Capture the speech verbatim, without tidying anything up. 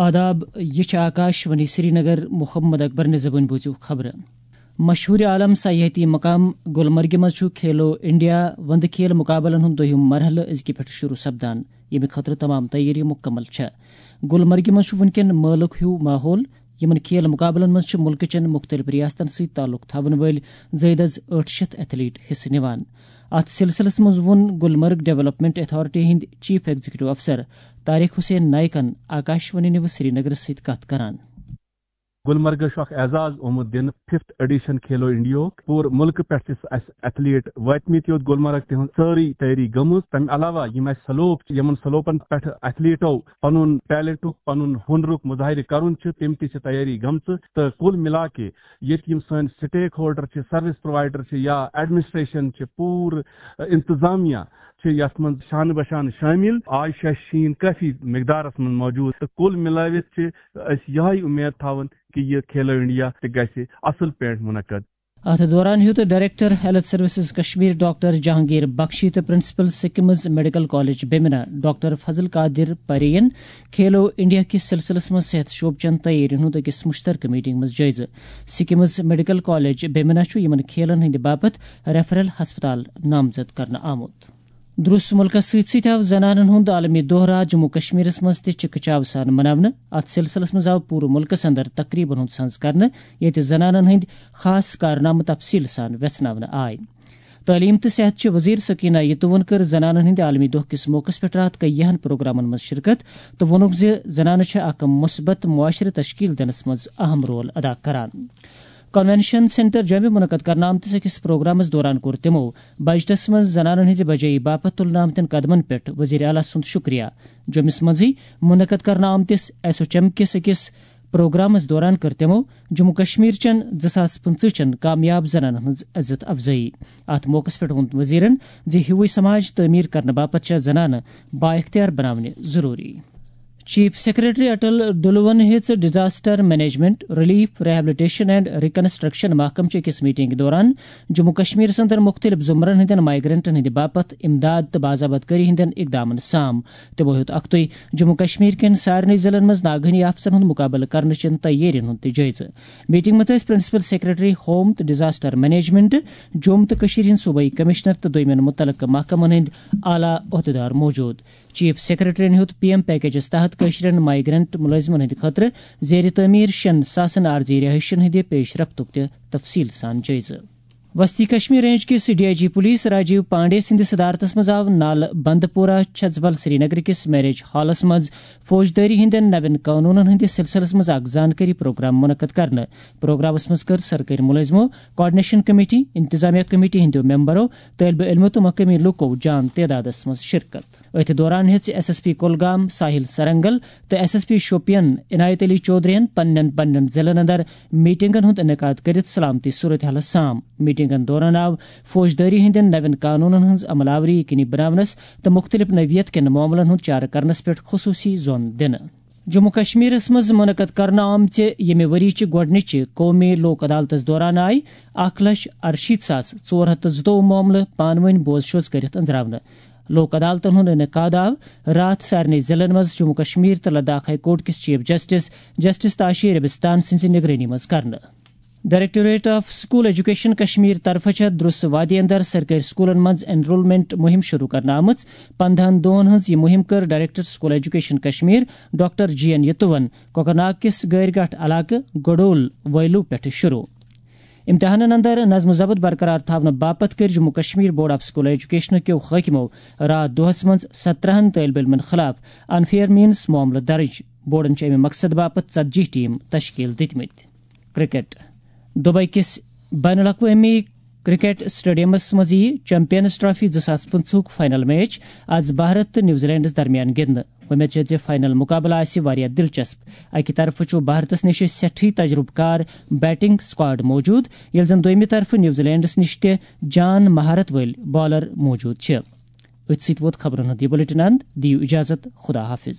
آداب، یہِ چھِ آکاش وانی سرینگر۔ محمد اکبر نِزبُن بوٗزِو خبرٕ۔ مشہوٗر عالم سیاحتی مقام گلمرگہِ منٛز چھُ کھیلو انڈیا وندٕ کھیل مقابلن ہُنٛد دوٚیُم مرحلہٕ أزکہِ پٮ۪ٹھٕ شروٗع سپدان، ییٚمہِ خٲطرٕ تمام تیٲری مُکمل چھےٚ۔ گلمرگہِ منٛز چھُ وٕنکٮ۪ن مٲلُک ہیوٗ ماحول۔ یِمن کھیل مقابلن منٛز چھِ مُلکہٕ چٮ۪ن مُختٔلِف ریاستن سۭتۍ تعلق تھاوَن وٲلۍ زٲیدٕ از ٲٹھ شیٚتھ ایتھلیٹ حصہٕ نِوان۔ اتھ سلسلس منٛز ووٚن گلمرگ ڈیولپمنٹ اتھارٹی ہٕنٛدۍ چیف ایگزیکٹو افسر طارق حسین نائیکن آکاشوانی نیوز سرینگرس سۭتۍ کتھ کران۔ گلمرگس چھُ اکھ اعزاز آمُت دِنہٕ ففتھ ایڈیشن کھیلو انڈیاہُک۔ پوٗرٕ مُلکہٕ پٮ۪ٹھ چھِ اَسہِ ایتھلیٹ وٲتمٕتۍ یوت گلمرگ، تِہنٛز سٲرٕے تیٲری گٔمٕژ۔ تَمہِ علاوہ یِم اَسہِ سلوپ چھِ، یِمن سلوپن پٮ۪ٹھ ایتھلیٹو پنُن ٹیلنٹُک، پنُن ہُنرُک مظاہرٕ کرُن چھُ، تِم تہِ چھِ تیٲری گٔمژٕ۔ تہٕ کُل مِلا کے ییٚتہِ یِم سٲنۍ سٹیک ہولڈر چھِ، سروس پرووائیڈر چھِ یا ایڈمنسٹریشن چھِ، پوٗرٕ انتظامیہ چھِ یتھ منٛز شانہٕ بہ شانہٕ شٲمِل۔ آز چھُ اَسہِ شیٖن کٲفی مقدارس منٛز موجود تہٕ کُل مِلٲوِتھ چھِ أسۍ یِہے اُمید تھاوان کہِ یہِ کھیلو انڈیا تہِ گژھِ اصل پٲٹھۍ منعقد۔ اتھ دوران ہیوٚت director health services Kashmir doctor Jahangir بخشی تہٕ principal succumbs medical college بیمنا doctor فضل قادر پرین کھیلو انڈیا کِس سلسلس منٛز صحت شعبہٕ چٮ۪ن تیٲرین ہُنٛد أکِس مشترکہٕ میٹنگ منٛز جٲیزٕ۔ سکمز میڈیکل کالج بیمنا چھُ یِمن کھیلن ہٕنٛدِ باپتھ ریفرل ہسپتال نامزد کرنہٕ آمُت۔ درس مُلکس سۭتۍ سۭتۍ آو زنانن ہُنٛد عالمی دۄہ راتھ جموں کشمیرس منٛز تہِ چکہ چاو سان مناونہٕ۔ اتھ سلسلس منٛز آو پوٗرٕ مُلکس اندر تقریبن ہُنٛد سنز کرنہٕ، ییٚتہِ زنانن ہٕنٛدۍ خاص کارنامہٕ تفصیل سان ویژھناونہٕ آے۔ تعلیم تہٕ صحت چہِ وزیر سکینہ یتوون کٔر زنانن ہٕنٛدِ عالمی دۄہ کِس موقعس پٮ۪ٹھ راتھ کیہن پروگرامن منٛز شرکت تہٕ ووٚنُکھ زِ زنانہٕ چھِ اکھ مثبت معاشرٕ تشکیل دِنس منٛز اہم رول ادا کران۔ کنونشن سینٹر جوٚمہِ منعقد کرنہٕ آمتِس أکِس پروگرامس دوران کوٚر تِمو بجٹس منٛز زنانن ہٕنٛزِ بجٲیی باپتھ تُلنہٕ آمتٮ۪ن قدمن پٮ۪ٹھ وزیر اعلیٰ سُنٛد شُکریہ۔ جوٚمِس منٛزٕے منعقد کرنہٕ آمتِس ایسوچم کِس أکِس پروگرامس دوران کٔر تِمو جموں کشمیر چٮ۪ن زٕ ساس پٕنٛژٕہ چٮ۪ن کامیاب زنانن ہٕنٛز عزت افزٲیی۔ اتھ موقعس پٮ۪ٹھ ووٚن وزیرن زِ ہیوٗوٕے سماج تعمیٖر کرنہٕ باپتھ چھےٚ زنانہٕ بااختیار بناونہِ ضروٗری۔ چیف سیکرٹری اٹل ڈلون ہیٚژ disaster management, relief, rehabilitation and reconstruction محکمہٕ چہِ أکِس میٹنگ دوران جموں کشمیرس اندر مُختٔلِف زمرن ہٕنٛدٮ۪ن مائیگرنٹن ہٕنٛدِ باپتھ امداد تہٕ باز آباد کٲری ہٕنٛدٮ۪ن اقدامن سام۔ تِمو ہیوٚت اکھتُے جموں کشمیر کٮ۪ن سارنٕے ضلعن منٛز ناگہٲنی آفژن ہُنٛد مُقابلہٕ کرنہٕ چٮ۪ن تیٲرین ہُنٛد تہِ جٲیزٕ۔ میٹنگ منٛز ٲسۍ پرنسپل سیکرٹری ہوم تہٕ ڈیزاسٹر مینجمنٹ، جوٚم تہٕ کٔشیٖر ہٕنٛدۍ صوبٲئی کمشنر تہٕ دوٚیمٮ۪ن مُتعلقہٕ محکمن ہٕنٛدۍ اعلیٰ عہدیدار موجود۔ چیف سیکرٹریَن ہیوٚت پی ایم پیکیجَس تحت کٲشرٮ۪ن مائیگرنٹ مُلٲزمَن ہٕنٛدِ خٲطرٕ زیر تعمیٖر شیٚن ساسَن عارضی رہائشَن ہٕنٛدِ پیش رفتُک تہِ تفصیٖل سان جٲیزٕ۔ وسطی کشمیر رینج کِس D I G police Rajiv Pandey سٕنٛدِ صدارتس منٛز آو نالہٕ بند پورہ چھژبل سرینگر کِس میرج ہالس منٛز فوجدٲری ہٕنٛدٮ۪ن نوٮ۪ن قونوٗنن ہٕنٛدِس سلسلس منٛز اکھ زانکٲری پروگرام منعقد کرنہٕ۔ پروگرامس منٛز کٔر سرکٲرۍ مُلٲزمو، کوآرڈینیشن کمیٹی، انتظامیہ کمیٹی ہٕنٛدیو ممبرو، طٲلبہِ علمو تہٕ مقٲمی لوٗکو جان تعدادس منٛز شرکت۔ أتھۍ دوران ہیٚژ ایس ایس پی کولگام ساحل سرنگل تہٕ ایس ایس پی شوپین عنایت علی چودھرین پننٮ۪ن پننٮ۪ن ضلعن اندر میٹنگن ہُنٛد انعقاد کٔرِتھ سلامتی صورتحالس سام۔ میٹنگن دوران آو فوجدٲری ہٕنٛدٮ۪ن نوٮ۪ن قانونن ہٕنٛز عمل آوری یقینی بناونس تہٕ مُختٔلِف نوعیت کٮ۪ن معاملن ہُنٛد چارٕ کرنس پٮ۪ٹھ خصوٗصی زون دِنہٕ۔ جموں کشمیرس منٛز منعقد کرنہٕ آمژِ ییٚمہِ ؤری چہِ گۄڈٕنِچہِ قومی لوک عدالتس دوران آیہِ اکھ لچھ ارشیٖتھ ساس ژور ہتھ تہٕ زٕتووُہ معاملہٕ پانہٕ ؤنۍ بوز شوز کٔرِتھ أنٛزراونہٕ۔ لوک عدالتن ہُنٛد انعقاد آو راتھ سارنٕے ضلعن منٛز جموں کشمیر تہٕ لداخ ہائی کورٹ کِس chief justice justice Tashi Rabistan سٕنٛزِ نگرٲنی منٛز کرنہٕ۔ Directorate of school education Kashmir طرفہٕ چھےٚ درس وادی اندر سرکٲرۍ سکولن منٛز انرولمنٹ مُہِم شروع کرنہٕ آمٕژ۔ پندہن دۄہن ہٕنٛز یہِ مُہِم کٔر director school education Kashmir doctor G N یتوَن کۄکرناگ کِس گٲرۍ گاٹھ علاقہٕ گڈول ویلو پٮ۪ٹھٕ شروع۔ امتحانن اندر نظم و ضبط برقرار تھاونہٕ باپتھ کٔرۍ Jammu Kashmir board of school education کیو حٲکمو راتھ دۄہس منٛز سترہن طٲلب علمن خلاف انفیئر مینز معاملہٕ درج۔ بورڈن چھِ امہِ مقصد باپتھ ژتجی ٹیم تشکیل دِتمٕتۍ۔ کرکٹ۔ دبئی کِس بین الاقوٲمی کرکٹ اسٹیڈیمس منٛز یِیہِ چیمپئنز ٹرافی زٕ ساس پٕنٛژٕہُک فائنل میچ آز بھارت تہٕ نیوزی لینڈس درمیان گِنٛدنہٕ۔ وۄمید چھےٚ زِ فائنل مقابلہٕ آسہِ واریاہ دلچسپ۔ اَکہِ طرفہٕ چھُ بھارتس نِش سٮ۪ٹھٕے تجربہٕ کار بیٹنگ اسکواڈ موجود، ییٚلہِ زن دوٚیمہِ طرفہٕ نیوزی لینڈس نِش تہِ جان مہارت وٲلۍ بالر موجود چھِ۔ أتھۍ سۭتۍ ووت خبرن ہُنٛد یہِ بلیٹن اند۔ دِیِو اجازت، خدا حافظ۔